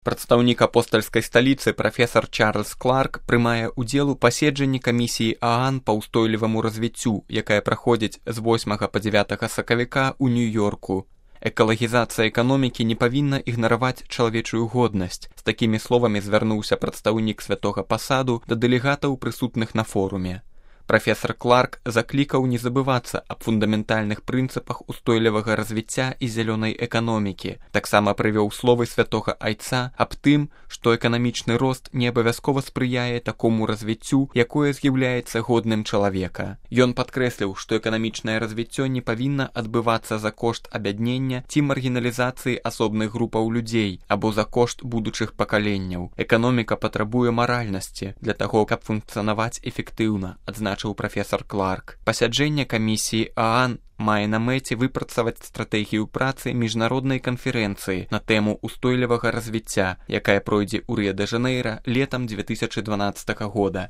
Прадстаўнік апостальскай сталіцы прафесар Чарльз Кларк прымае ўдзел у паседжанні камісіі ААН па ўстойліваму развіццю, якая праходзіць з 8 па 9 сакавіка ў Нью-Йорку. Экалагізацыя эканомікі не павінна ігнараваць чалавечую годнасць. З такімі словамі звярнуўся прадстаўнік святога пасаду да дэлегатаў прысутных на форуме. Прафесар Кларк заклікаў не забывацца аб фундаментальных прынцыпах устойлівага развіцця і зялёнай эканомікі. Таксама прывёў словы святога айца аб тым, што эканамічны рост не абавязкова спрыяе такому развіццю, якое з'яўляецца годным чалавека. Ён падкрэсліў, што эканамічнае развіццё не павінна адбывацца за кошт абяднення ці маргіналізацыі асобных групаў людзей або за кошт будучых пакаленняў. Эканоміка патрабуе маральнасці для таго, каб функцыянаваць эфектыўна, адзначыў прафесар Кларк. Пасяджэнне камісіі ААН мае на мэце выпрацаваць стратэгію працы міжнароднай канферэнцыі на тэму устойлівага развіцця, якая пройдзе ў Рыа-дэ-Жанэйра летам 2012 года.